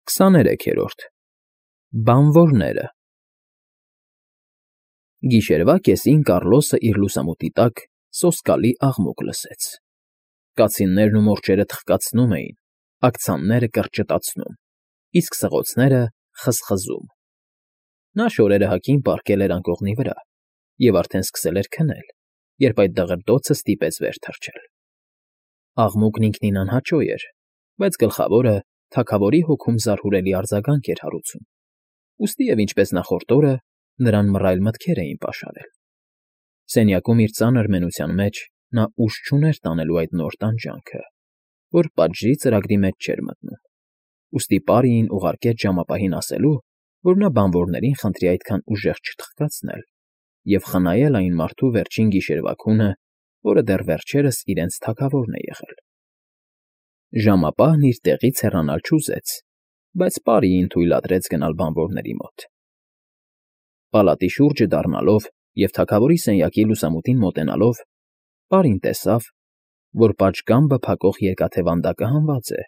23-րդ Բանվորները Գիշերվա կեսին Կառլոսը իր լուսամուտի տակ սոսկալի աղմուկ լսեց. կացիններն ու մորջերը թխկացնում էին, աքցանները կրճտացնում, իսկ սղոցները՝ խզխզում. նա շորերը հագին պառկել էր անկողնի վրա և արդեն սկսել էր քնել, երբ այդ դղրդոցը ստիպեց վեր թռչել. աղմուկն ինքնին անհաճո էր, բայց գլխավորը թագավորի հոգում զարհուրելի արձագանք էր հարուցում, ուստի և ինչպես նախորդ օրը նրան մռայլ մտքեր էին պաշարել. սենյակում իր ծանր մենության մեջ նա ուժ չուներ տանելու այդ նոր տանջանքը, որ պատժի ծրագրի մեջ չէր մտնում, ուստի Պարիին ուղարկեց ժամապահին ասելու, որ նա բանվորներին խնդրի այդքան ուժեղ չթխկացնել և խնայել այն մարդու վերջին գիշերվա քունը, որը դեռ վերջերս իրենց թագավորն է եղել. Ժամապահն իր տեղից հեռանալ չուզեց, բայց Պարիին թույլատրեց գնալ բանվորների մոտ. Պալատի շուրջը դառնալով և թագավորի սենյակի լուսամուտին մոտենալով, Պարին տեսավ, որ պատշգամբը փակող երկաթե վանդակը հանված է,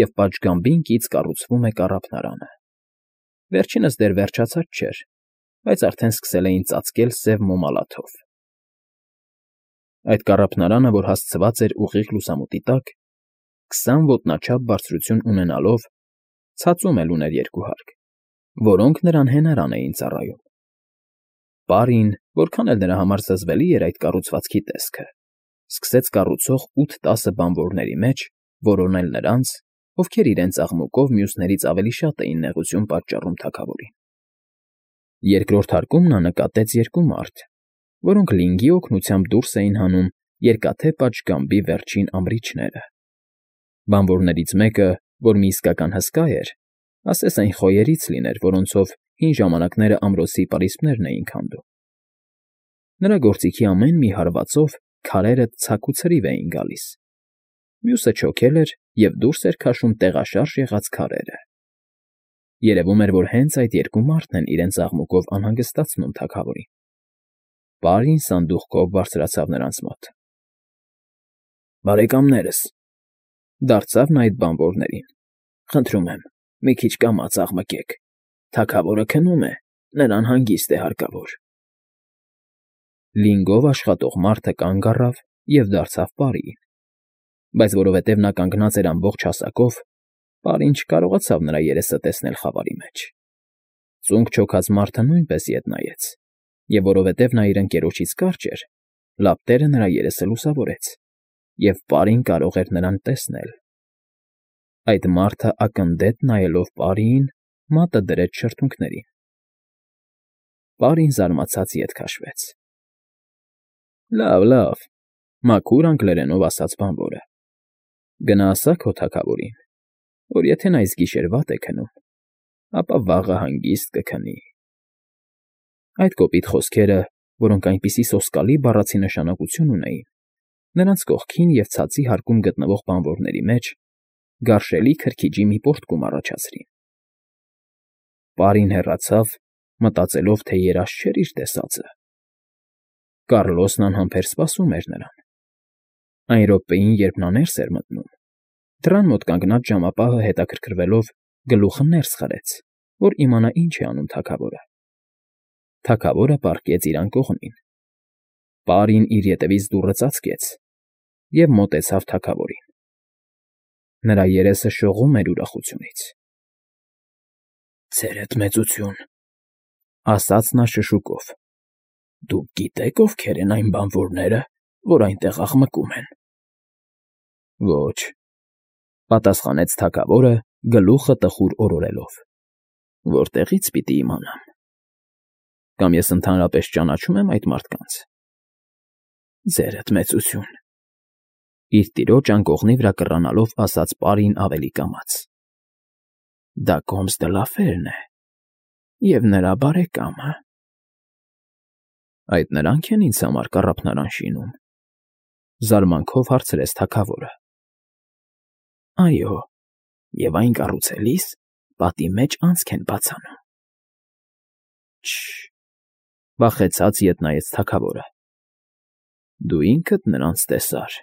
և պատշգամբին կից կառուցվում է կառափնարանը. վերջինս դեռ վերջացած չէր, բայց արդեն սկսել էին ծածկել սև մոմալաթով. այդ կառափնարանը, որ հասցված էր ուղիղ լուսամուտի տակ, 20 ոտնաչափ բարձրություն ունենալով, ցածում էլ ուներ երկու հարկ, որոնք նրան հենարան էին ծառայում. Պարին, որքան էլ նրա համար զզվելի էր այդ կառուցվածքի տեսքը, սկսեց կառուցող 8-10 բանվորների մեջ որոնել նրանց, ովքեր իրենց աղմուկով մյուսներից ավելի շատ էին նեղություն պատճառում թագավորին. երկրորդ հարկում նա նկատեց երկու մարդ, որոնք լինգի օգնությամբ դուրս էին հանում երկաթե պատշգամբի վերջին ամրիչները. բանվորներից մեկը, որ մի իսկական հսկա էր, ասես այն խոյերից լիներ, որոնցով հին ժամանակները ամրոցի պարիսպներն էին քանդում. նրա գործիքի ամեն մի հարվածով քարերը ցակ ու ցրիվ էին գալիս, մյուսը չոքել էր և դուրս էր քաշում տեղաշարժ եղած քարերը. երևում էր, որ հենց այդ երկու մարդն են իրենց աղմուկով անհանգստացնում թագավորին. Պարին սանդուղքով բարձրացավ նրանց մոտ. բարեկամներս, դարձավ նա այդ բանվորներին, խնդրում եմ, մի քիչ կամաց աղմկեք, թագավորը քնում է, նրան հանգիստ է հարկավոր. Լինգով աշխատող մարդը կանգ առավ և դարձավ Պարիին, բայց որովհետև նա կանգնած էր ամբողջ հասակով, Պարին չկարողացավ նրա երեսը տեսնել խավարի մեջ. ծունկ չոքած մարդը նույնպես ետ նայեց, և որովհետև նա իր ընկերոջից կարճ էր, լապտերը նրա երեսը լուսավորեց, և Պարին կարող էր նրան տեսնել. այդ մարդը ակնդետ նայելով Պարիին, մատը դրեց շրթունքներին. Պարին զարմացած ետ քաշվեց. Լավ, մաքուր անգլերենով ասաց բանվորը, գնա ասա քո թագավորին, որ եթե նա այս գիշեր վատ է քնում, ապա վաղը հանգիստ կքնի. Այդ կոպիտ խոսքերը, որոնք այնպիսի սոսկալի բառացի նշանակություն ունեին, նրանց կողքին և ցածի հարկում գտնվող բանվորների մեջ գարշելի քրքիջի մի պոռթկում առաջացրին. Պարին հեռացավ, մտածելով, թե երազ չէր իր տեսածը. Կառլոսն անհամբեր սպասում էր նրան. այն րոպեին, երբ նա ներս էր մտնում, դռան մոտ կանգնած ժամապահը հետաքրքրվելով գլուխը ներս խրեց, որ իմանա ինչ է անում թագավորը. թագավորը պառկեց իր անկողնին. Պարին իր ետևից դուռը ծածկեց և մոտեցավ թագավորին. նրա երեսը շողում էր ուրախությունից. Ձերդ մեծություն, ասաց նա շշուկով, դուք գիտեք ովքեր են այն բանվորները, որ այնտեղ աղմկում են. Ոչ, պատասխանեց թագավորը գլուխը տխուր օրորելով, որտեղից պիտի իմանամ, կամ ես ընդհանրապես ճանաչում եմ այդ մարդկանց. Ձերդ մեծություն, իր տիրոջ անկողնի վրա կռանալով ասաց Պարին ավելի կամաց. դա Կոմս դը Լաֆերն է և նրա բարեկամը. այդ նրանք են ինձ համար կառափնարան շինում, զարմանքով հարցրեց թագավորը. այո, և այն կառուցելիս պատի մեջ անցք են բացանում. վախեցած ետ նայեց թագավորը. դու ինքդ նրանց տեսար.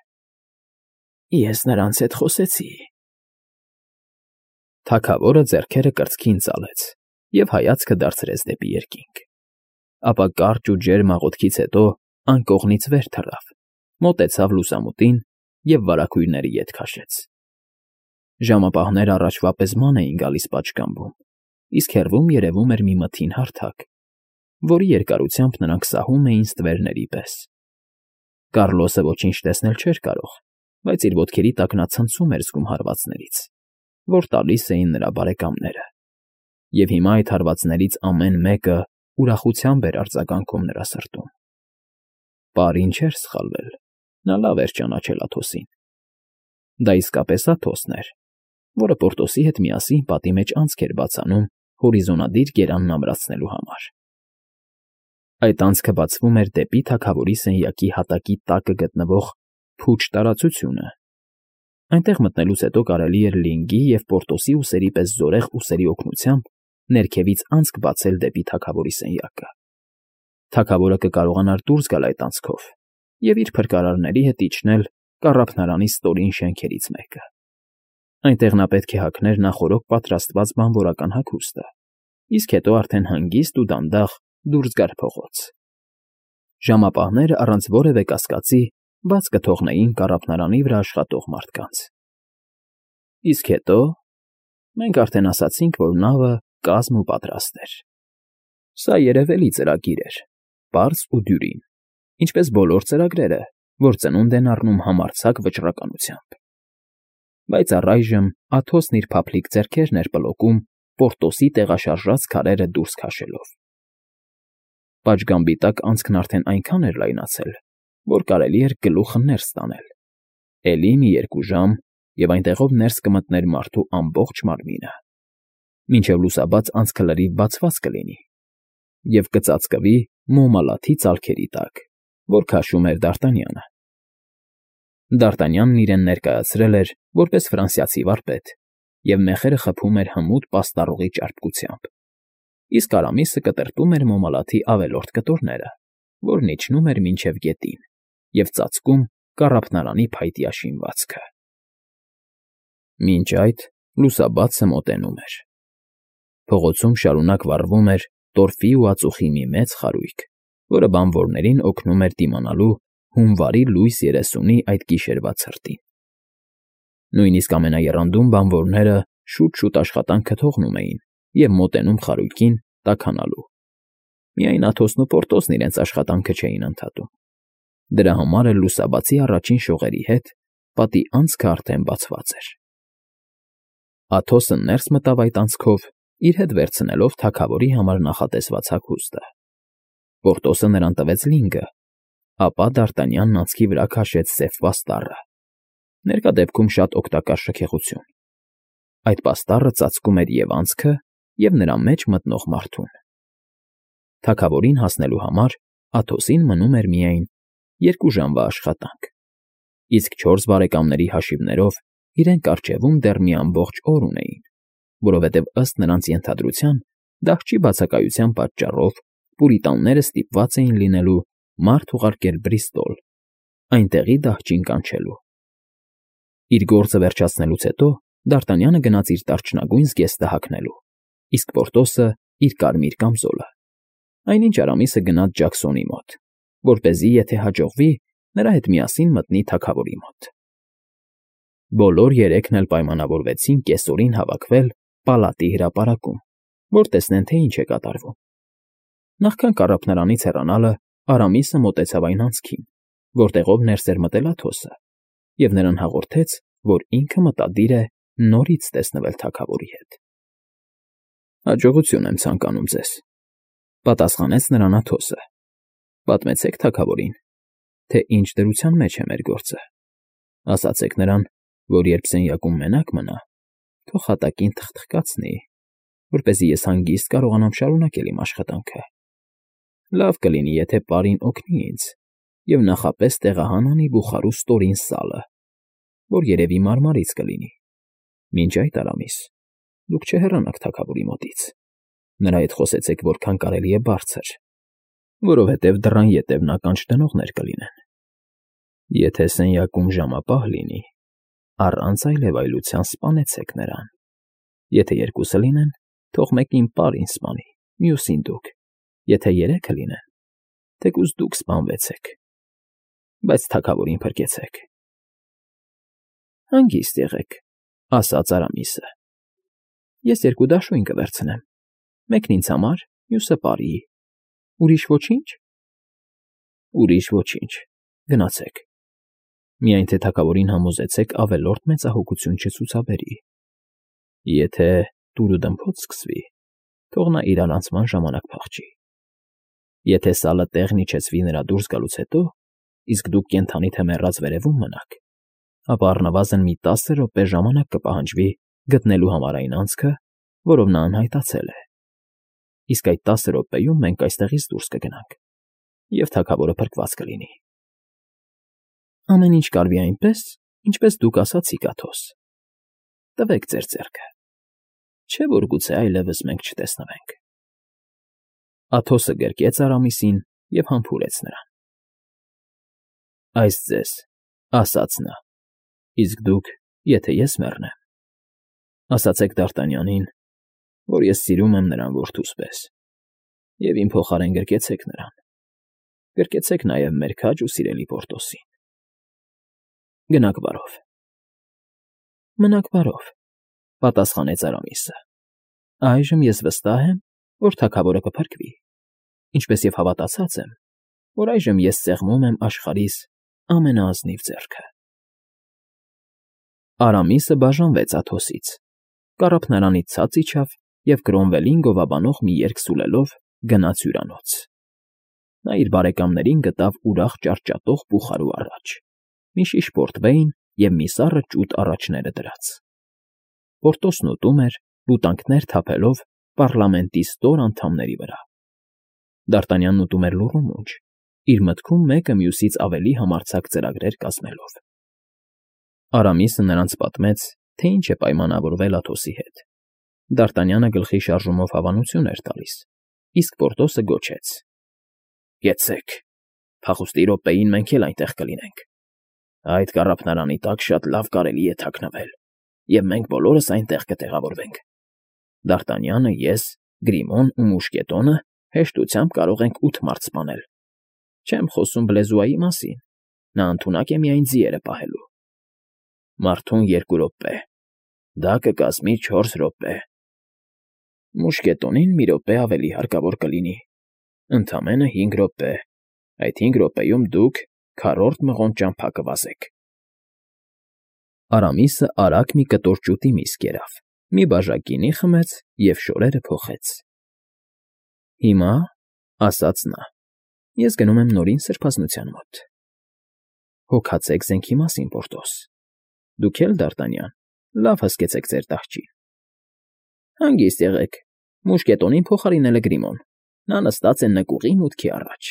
ես նրանց հետ խոսեցի. Թագավորը ձեռքերը կրծքին ծալեց և հայացքը դարձրեց դեպի երկինք, ապա կարճ ու ջերմ աղոթքից հետո անկողնից վեր թռավ, մոտեցավ լուսամուտին և վարագույրների ետ քաշեց։ Ժամապահները առաջվա պես ման էին գալիս պատշգամբում, իսկ հեռվում երևում էր մի մթին հարթակ, որի երկարությամբ նրանք սահում էին ստվերների պես։ Կառլոսը ոչինչ տեսնել չէր կարող, բայց իր ոտքերի տակ նա ցնցում էր զգում հարվածներից, որ տալիս էին նրա բարեկամները, և հիմա այդ հարվածներից ամեն մեկը ուրախությամբ էր արձագանքում նրա սրտում։ Պարին չէր սխալվել, նա լավ էր ճանաչել Աթոսին։ Դա իսկապես Աթոսն էր, որը Պորտոսի հետ միասին պատի մեջ անցք էր բացանում հորիզոնադիր գերանն ամրացնելու համար։ Այդ անցքը բացվում էր դեպի թագավորի սենյակի հատակի տակը գտնվող փուչ տարածությունը։ Այնտեղ մտնելուց հետո կարելի էր Լինգի և Պորտոսի ուսերի պես զորեղ ուսերի օգնությամբ ներքևից անցք բացել դեպի թագավորի սենյակը։ Թագավորը կկարողանար դուրս գալ այդ անցքով և իր փրկարարների հետ իջնել կառափնարանի ստորին շենքերից մեկը։ Այնտեղ նա պետք է հագներ նախօրոք պատրաստված բանվորական հագուստը, իսկ հետո արդեն հանգիստ ու դանդաղ դուրս գար փողոց։ Ժամապահները առանց որևէ կասկածի բաց կթողնեին կառափնարանի վրա աշխատող մարդկանց։ Իսկ հետո մենք արդեն ասացինք, որ նավը կազմ ու պատրաստ էր։ Սա երևելի ծրագիր էր, պարզ ու դյուրին, ինչպես բոլոր ծրագրերը, որ ծնունդ են առնում համարձակ վճռականությամբ։ Բայց առայժմ Աթոսն իր փափլիկ ձեռքերն էր պլոկում Պորտոսի տեղաշարժած քարերը դուրս քաշելով։ Պատշգամբի տակ անցքն արդեն այնքան էր լայնացել, որ կարելի էր գլուխը ներս տանել։ Էլի մի 2 ժամ, և այնտեղով ներս կմտներ մարդու ամբողջ մարմինը, մինչև լուսաբաց անցքը լրիվ բացված կլինի, և կծածկվի մոմալաթի ծալքերի տակ, որ քաշում էր Դարտանյանը։ Դարտանյանն իրեն ներկայացրել էր որպես ֆրանսիացի վարպետ և մեխերը խփում էր հմուտ պաստառողի ճարպկությամբ, իսկ Արամիսը կտրտում էր մոմալաթի ավելորդ կտորները, որն իջնում էր մինչև գետին և ծածկում կառափնարանի փայտյա շինվածքը։ Մինչ այդ լուսաբացը մոտենում էր։ Փողոցում շարունակ վառվում էր տորֆի ու ածուխի մի մեծ խարույկ, որը բանվորներին օգնում էր դիմանալու հունվարի լույս 30-ի այդ գիշերվա ցրտին։ Նույնիսկ ամենաեռանդուն բանվորները շուտ-շուտ աշխատանքը թողնում էին և մոտենում խարույկին տաքանալու։ Միայն Աթոսն ու Պորտոսն իրենց աշխատանքը չէին ընդհատում։ Դրա համար էլ լուսաբացի առաջին շողերի հետ պատի անցքը արդեն բացված էր։ Աթոսը ներս մտավ այդ անցքով, իր հետ վերցնելով թագավորի համար նախատեսված հագուստը։ Պորտոսը նրան տվեց լինգը, ապա Դարտանյանն անցքի վրա քաշեց սև պաստառը, ներկա դեպքում շատ օգտակար շքեղություն։ Այդ պաստառը ծածկում էր և անցքը, և նրա մեջ մտնող մարդուն։ Թագավորին հասնելու համար Աթոսին մնում էր միայն 2 ժամվա աշխատանք, իսկ 4 բարեկամների հաշիվներով իրենք առջևում դեռ մի ամբողջ օր ունեին, որովհետև ըստ նրանց ենթադրության դահճի բացակայության պատճառով պուրիտանները ստիպված էին լինելու մարդ ուղարկել Բրիստոլ, այնտեղի դահճին կանչելու։ Իր գործը վերջացնելուց հետո Դարտանյանը գնաց իր դարչնագույն զգեստը հագնելու, իսկ Պորտոսը իր կարմիր կամզոլը, այնինչ Արամիսը գնաց Ջաքսոնի մոտ, որպեսզի, եթե հաջողվի, նրա հետ միասին մտնի թագավորի մոտ։ Բոլոր երեքն էլ պայմանավորվեցին կեսօրին հավաքվել պալատի հրապարակում, որ տեսնեն, թե ինչ է կատարվում։ Նախքան կառափնարանից հեռանալը Արամիսը մոտեցավ այն անցքին, որտեղով ներս էր մտել Աթոսը, և նրան հաղորդեց, որ ինքը մտադիր է նորից տեսնվել թագավորի հետ։ «Հաջողություն եմ ցանկանում ձեզ», պատասխանեց նրան Աթոսը։ «Պատմեցեք թագավորին, թե ինչ դրության մեջ է մեր գործը։ Ասացեք նրան, որ երբ սենյակում մենակ մնա, թող հատակին թխթխկացնի, որպեսզի ես հանգիստ կարողանամ շարունակել իմ աշխատանքը։ Լավ կլինի, եթե պարին օգնի ինձ և նախապես տեղահան անի բուխարու ստորին սալը, որ երևի մարմարից կլինի։ Մինչ այդ, Արամիս, դուք չհեռանաք թագավորի մոտից, նրա հետ խոսեցեք որքան կարելի է բարձր, որովհետև դռան ետևն ականջ դնողներ կլինեն։ Եթե սենյակում ժամապահ լինի, առանց այլևայլության սպանեցեք նրան։ Եթե երկուսը լինեն, թող մեկին պար ինձ սպանի, մյուսին դուք, եթե երեքը լինեն, թեկուզ դուք սպանվեցեք, բայց թագավորին փրկեցեք։ Հանգիստ եղեք, ասաց Արամիսը։ Ես երկու դաշույն կվերցնեմ, մեկն ինձ համար, մյուսը պարիի։ Ուրիշ ոչինչ։ Ուրիշ ոչինչ, գնացեք։ Միայն թե թագավորին համոզեցեք ավելորդ մեծահոգություն չցուցաբերի։ Եթե դուր ու դմփոց սկսվի, թող նա իր առանցման ժամանակ փախչի։ Եթե սալը տեղն իջեցվի նրա դուրս գալուց հետո, իսկ դուք կենդանի թե մեռած վերևում մնաք, ապա առնվազն մի 10 րոպե ժամանակ կպահանջվի գտնելու համար այն անցքը, որով նա անհայտացել է։ Իսկ այդ 10 րոպեում մենք այստեղից դուրս կգնանք, և թագավորը փրկված կլինի։ Ամեն ինչ կարվի այնպես, ինչպես դուք ասացիք, Աթոս։ Տվեք ձեր ձեռքը, չէ՞ որ գուցե այլևս մենք չտեսնվենք։ Աթոսը գրկեց Արամիսին և համբուրեց նրան։ Այս ձեզ, ասաց նա, իսկ դուք, եթե ես մեռնեմ, ասացեք Դարտանյանին, որ ես սիրում եմ նրան որդուս պես, և իմ փոխարեն գրկեցեք նրան, գրկեցեք նաև մեր քաջ ու սիրելի Պորտոսին։ Գնաք բարով։ Մնաք բարով, պատասխանեց Արամիսը։ Այժմ ես վստահ եմ, որ թագավորը կփրկվի, ինչպես և հավատացած եմ, որ այժմ ես սեղմում եմ աշխարհիս ամենաազնիվ ձեռքը։ Արամիսը բաժանվեց Աթոսից, կառափնարանից ցած իջավ և Կրոմվելին գովաբանող մի երգ սուլելով գնաց հյուրանոց։ Նա իր բարեկամներին գտավ ուրախ ճարտճատող բուխարու առաջ, մի շիշ պորտվեյն և մի սառը ճուտ առաջները դրած։ Պորտոսն ուտում էր, լուտանքներ թափելով պառլամենտի ստոր անդամների վրա։ Դարտանյանն ուտում էր լուռու մունջ, իր մտքում մեկը մյուսից ավելի համարձակ ծրագրեր կազմելով։ Արամիսը նրանց պատմեց, թե ինչ է պայմանավորվել Աթոսի հետ։ Դարտանյանը գլխի շարժումով հավանություն էր տալիս, իսկ Պորտոսը գոչեց. Կեցեք, փախուստի րոպեին մենք էլ այնտեղ կլինենք։ Այդ կառափնարանի տակ շատ լավ կարելի է թաքնվել, և մենք բոլորս այնտեղ կտեղավորվենք։ Դարտանյանը, ես, Գրիմոն ու Մուշկետոնը հեշտությամբ կարող ենք 8 մարդ սպանել։ Չեմ խոսում Բլեզուայի մասին, նա ընդունակ է միայն ձիերը պահելու։ Մարդուն 2 րոպե, դա կկազմի 4 րոպե։ Մուշկետոնին մի րոպե ավելի հարկավոր կլինի, ընդամենը 5 րոպե, այդ 5 րոպեում դուք քառորդ մղոն ճամփա կվազեք։ Արամիսը արագ մի կտոր ճուտի միս կերավ, մի բաժակ գինի խմեց և շորերը փոխեց։ Հիմա, ասաց նա, ես գնում եմ նորին սրբազնության մոտ։ Հոգացեք զենքի մասին, Պորտոս։ Դուք էլ, Դարտանյան, լավ հսկեցեք ձեր տաղճին։ Հանգիստ եղեք, Մուշկետոնին փոխարինել է Գրիմոն, նա նստած է նկուղի մուտքի առաջ։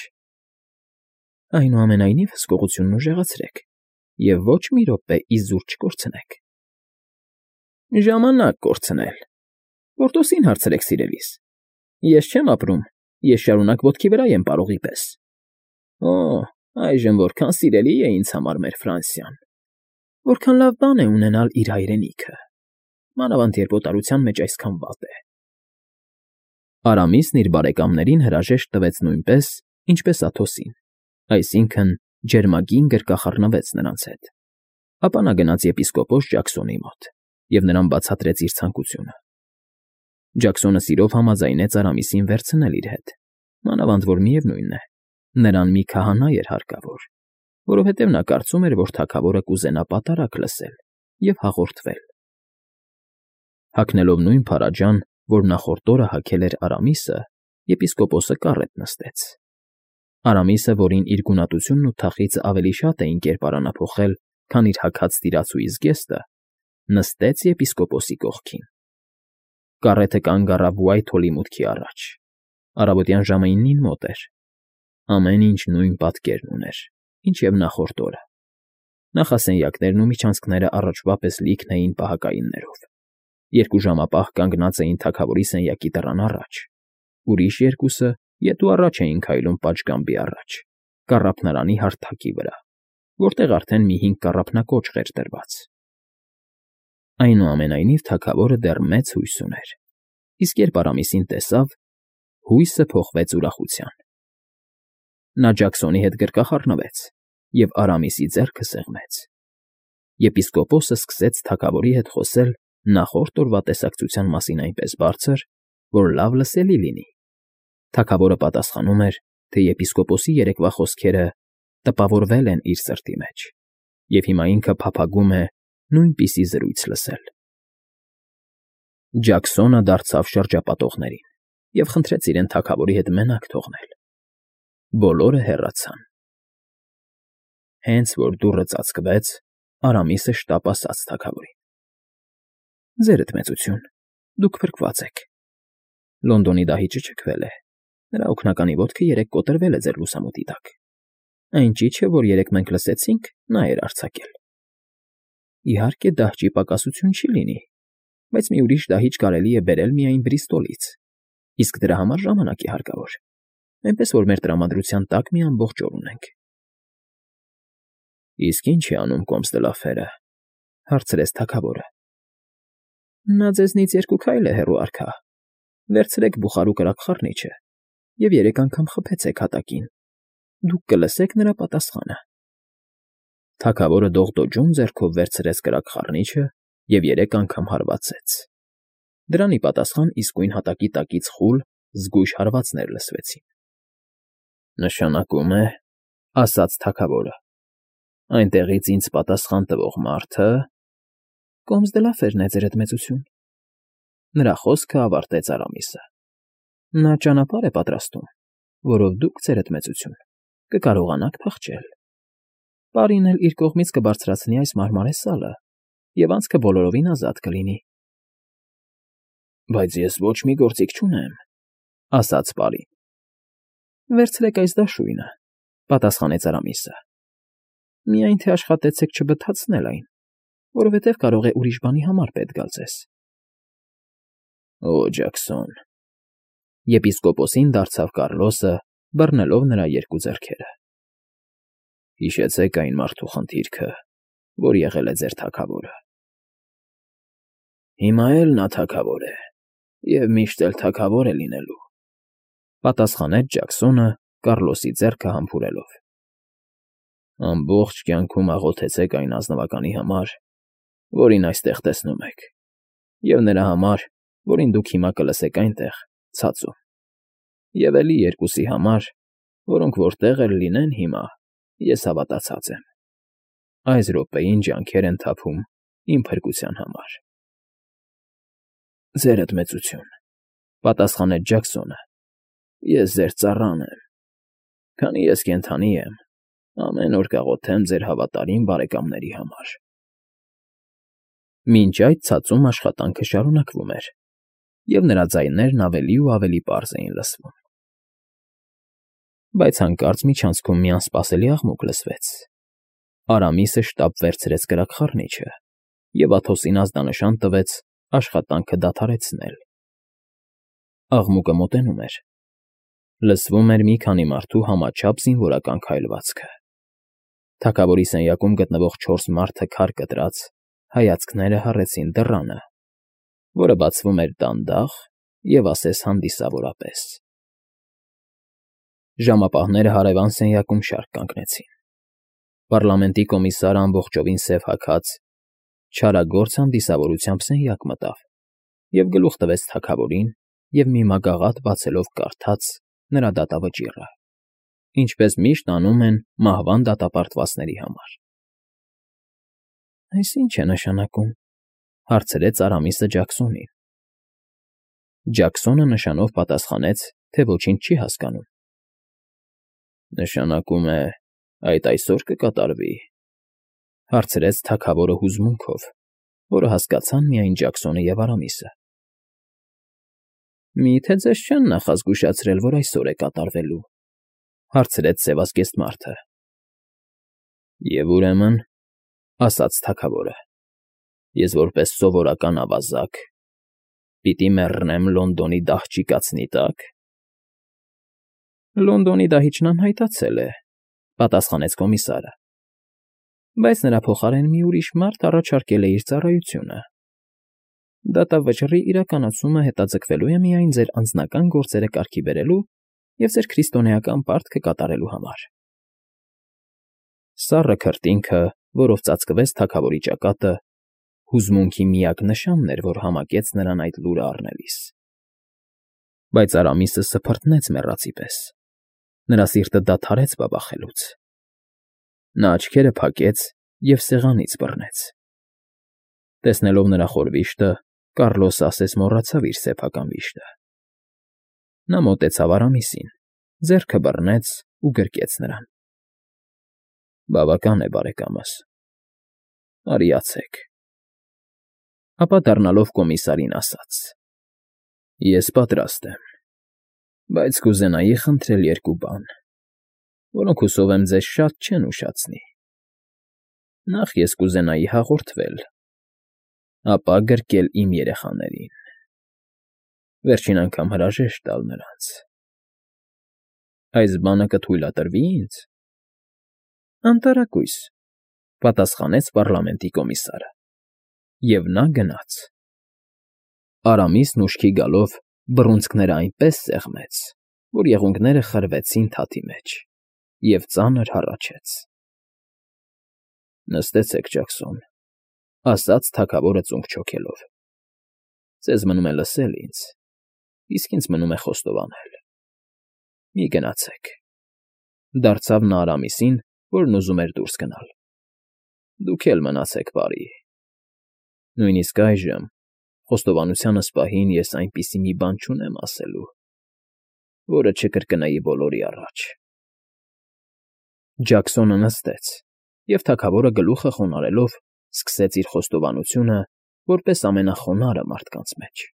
Այնուամենայնիվ հսկողությունն ուժեղացրեք և ոչ մի րոպե իզուր չկորցնեք։ Ժամանակ կորցնել։ Պորտոսին հարցրեք, սիրելիս։ Ես չեմ ապրում, ես շարունակ ոտքի վրա եմ պարողի պես։ Օ, այժմ որքան սիրելի է ինձ համար մեր Ֆրանսիան։ Որքան լավ բան է ունենալ իր հայրենիքը, մանավանդ երբ օտարության մեջ այսքան վատ է։ Արամիսն իր բարեկամներին հրաժեշտ տվեց նույնպես, ինչպես Աթոսին, այսինքն ջերմագին գրկախառնվեց նրանց հետ։ Ապա նա գնաց եպիսկոպոս Ջաքսոնի մոտ և նրան բացատրեց իր ցանկությունը։ Ջաքսոնը սիրով համաձայնեց Արամիսին վերցնել իր հետ, մանավանդ որ միևնույն է, նրան մի քահանա էր հարկավոր, որովհետև նա կարծում էր, որ թագավորը կուզենա պատարագ լսել և հաղորդվել։ Հագնելով նույն փարաջան, որ նախորդ օրը հագել էր Արամիսը, եպիսկոպոսը կառետ նստեց։ Արամիսը, որին իր գունատությունն ու թախիծը ավելի շատ էին կերպարանափոխել, քան իր հագած տիրացուի զգեստը, նստեց եպիսկոպոսի կողքին։ Կառետը կանգ առավ Ուայթհոլի մուտքի առաջ։ Առավոտյան ժամը 9-ին մոտ էր։ Ամեն ինչ նույն պատկերն ուներ, ինչ և նախորդ օրը։ Նախասենյակներն ու միջանցքները առաջվա պես լիքն էին պահակայիններով։ 2 ժամապահ կանգնած էին թագավորի սենյակի դռան առաջ, ուրիշ 2-ը ետու առաջ էին քայլում պատշգամբի առաջ, կառափնարանի հարթակի վրա, որտեղ արդեն մի 5 կառափնակոճղ էր դրված։ Այնուամենայնիվ թագավորը դեռ մեծ հույս ուներ, իսկ երբ Արամիսին տեսավ, հույսը փոխվեց ուրախության։ Նա Ջաքսոնի հետ գրկախառնվեց և Արամիսի ձեռքը սեղմեց։ Եպիսկոպոսը սկսեց թագավորի հետ խոսել նախորդ օրվա տեսակցության մասին այնպես բարձր, որ լավ լսելի լինի։ Թագավորը պատասխանում էր, թե եպիսկոպոսի երեկվա խոսքերը տպավորվել են իր սրտի մեջ, և հիմա ինքը փափագում է նույնպիսի զրույց լսել։ Ջաքսոնը դարձավ շրջապատողներին և խնդրեց իրեն թագավորի հետ մենակ թողնել։ Բոլորը հեռացան։ Հենց որ դուռը ծածկվեց, Արամիսը շտապ ասաց թագավորին. «Ձերդ մեծություն, դուք փրկված եք։ Լոնդոնի դահիճը ճգվել է, նրա օգնականի ոտքը երեկ կոտրվել է ձեր լուսամուտի տակ։ Այն ճիչը, որ երեկ մենք լսեցինք, նա էր արձակել։ Իհարկե, դահճի պակասություն չի լինի, բայց մի ուրիշ դահիճ կարելի է բերել միայն Բրիստոլից, իսկ դրա համար ժամանակ է հարկավոր, այնպես որ մեր տրամադրության տակ մի ամբողջ օր ունենք»։ «Իսկ ինչ է անում Կոմս դը Լաֆերը», հարցրեց թագավորը։ «Նա ձեզնից 2 քայլ է հեռու, արքա։ Վերցրեք բուխարու կրակխառնիչը և 3 անգամ խփեցեք հատակին, դուք կլսեք նրա պատասխանը»։ Թագավորը դողդոջուն ձեռքով վերցրեց կրակխառնիչը և 3 անգամ հարվածեց։ Դրան ի պատասխան իսկույն հատակի տակից խուլ, զգույշ հարվածներ լսվեցին։ «Նշանակում է, — ասաց թագավորը, — այնտեղից ինձ պատասխան տվող մարդը…» «Կոմս դը Լաֆերն է, ձերդ մեծություն», նրա խոսքը ավարտեց Արամիսը։ «Նա ճանապարհ է պատրաստում, որով դուք, ձերդ մեծություն, կկարողանաք փախչել։ Պարին էլ իր կողմից կբարձրացնի այս մարմարե սալը, և անցքը բոլորովին ազատ կլինի»։ «Բայց ես ոչ մի գործիք չունեմ», — ասաց պարին։ «Վերցրեք այս դաշույնը», — պատասխանեց Արամիսը։ «Միայն թե աշխատեցեք չբթացնել այն, որովհետև կարող է ուրիշ բանի համար պետք գալ ձեզ»։ «Օ, Ջաքսոն…» Եպիսկոպոսին դարձավ Կառլոսը, բռնելով նրա 2 ձեռքերը։ «Հիշեցեք այն մարդու խնդիրքը, որ եղել է ձեր թագավորը։ Հիմա էլ նա թագավոր է և միշտ էլ թագավոր է լինելու», ֊ պատասխանեց Ջաքսոնը՝ Կառլոսի ձեռքը համբուրելով։ «Ամբողջ կյանքում աղոթեցեք այն ազնվականի համար, որին այստեղ տեսնում եք, և նրա համար, որին դուք հիմա կլսեք այնտեղ, ցածում, և էլի 2-ի համար, որոնք որտեղ էլ լինեն հիմա, ես հավատացած եմ։ Այս րոպեին ջանքեր են թափում իմ փրկության համար»։ «Ձերդ մեծություն, ֊ պատասխանեց Ջաքսոնը, ֊ ես ձեր ծառան եմ։ Քանի ես կենդանի եմ, ամեն օր կաղոթեմ ձեր հավատարիմ բարեկամների համար»։ Մինչ այդ ցածում աշխատանքը շարունակվում էր, և նրա ձայներն ավելի ու ավելի պարզ էին լսվում։ Բայց հանկարծ միջանցքում մի անսպասելի աղմուկ լսվեց։ Արամիսը շտապ վերցրեց կրակխառնիչը և Աթոսին ազդանշան տվեց աշխատանքը դադարեցնել։ Աղմուկը մոտենում էր։ Լսվում էր մի քանի մարդու համաչափ զինվորական քայլվածքը։ Թագավորի սենյակում գտնվող 4 մարդը քար կտրած հայացքները հառեցին դռանը, որը բացվում էր դանդաղ և ասես հանդիսավորապես։ Ժամապահները հարևան սենյակում շարք կանգնեցին։ Պառլամենտի կոմիսարը ամբողջովին սև հագած, չարագործ հանդիսավորությամբ սենյակ մտավ և գլուխ տվեց թագավորին և մի մագաղաթ բացելով կարդաց նրա դատավճիռը, ինչպես միշտ անում են մահվան դատապարտվածների համար։ «Այս ի՞նչ է նշանակում,֊ հարցրեց Արամիսը Ջաքսոնին։ Ջաքսոնը նշանով պատասխանեց, թե ոչինչ չի հասկանում։ «Նշանակում է, այդ այսօր կկատարվի,֊ հարցրեց թագավորը հուզմունքով, որը հասկացան միայն Ջաքսոնը և Արամիսը։ «Մի՞թե ձեզ չեն նախազգուշացրել, որ այսօր է կատարվելու,֊ հարցրեց սևազգեստ մարդը։ «Եվ ուրեմն,֊ ասաց թագավորը,֊ ես որպես սովորական ավազակ պիտի մեռնեմ Լոնդոնի դահճի կացնի տա՞կ»։ «Լոնդոնի դահիճն անհայտացել է,֊ պատասխանեց կոմիսարը,֊ բայց նրա փոխարեն մի ուրիշ մարդ առաջարկել է իր ծառայությունը։ Դատավճռի իրականացումը հետաձգվելու է միայն ձեր անձնական գործերը կարգի բերելու և ձեր քրիստոնեական պարտքը կատարելու համար։ Սառը քրտինքը, որով ծածկվեց թագավորի ճակատը, հուզմունքի միակ նշանն էր, որ համակեց նրան այդ լուրը առնելիս։ Բայց Արամիսը սփռտնեց մեռածի պես։ Նրա սիրտը դադարեց բաբախելուց։ Նա աչքերը փակեց և սեղանից բռնեց։ Տեսնելով նրա խոր վիշտը, Կառլոսը ասես մոռացավ իր սեփական վիշտը։ Նա մոտեցավ Արամիսին, ձեռքը բռնեց ու գրկեց նրան։ Բավական է, բարեկամս, արիացեք։ Ապա դառնալով կոմիսարին ասաց. Ես պատրաստ եմ, բայց կուզենայի խնդրել երկու բան, որոնք հուսով եմ ձեզ շատ չեն ուշացնի։ Նախ ես կուզենայի հաղորդվել, ապա գրկել իմ երեխաներին, վերջին անգամ հրաժեշտ տալ նրանց։ Այս բանը կթույլատրվի՞ ինձ։ Անտարակույս, պատասխանեց պարլամենտի կոմիսարը, և նա գնաց։ Արամիսն ուշքի գալով բռունցքները այնպես սեղմեց, որ եղունգները խրվեցին թաթի մեջ, և ծանր հառաչեց։ Նստեցեք, Ջաքսոն, ասաց թագավորը ծունկ չոքելով։ Ձեզ մնում է լսել ինձ, իսկ ինձ մնում է խոստովանել։ Մի գնացեք, դարձավ նա Արամիսին, որն ուզում էր դուրս գնալ։ Դուք էլ մնացեք բարի։ Նույնիսկ այժմ, խոստովանությանս պահին ես այնպիսի մի բան չունեմ ասելու, որը չկրկնեի բոլորի առաջ։ Ջաքսոնը նստեց, և թագավորը գլուխը խոնարհելով սկսեց իր խոստովանությունը որպես ամենախոնարհը մարդկանց մեջ։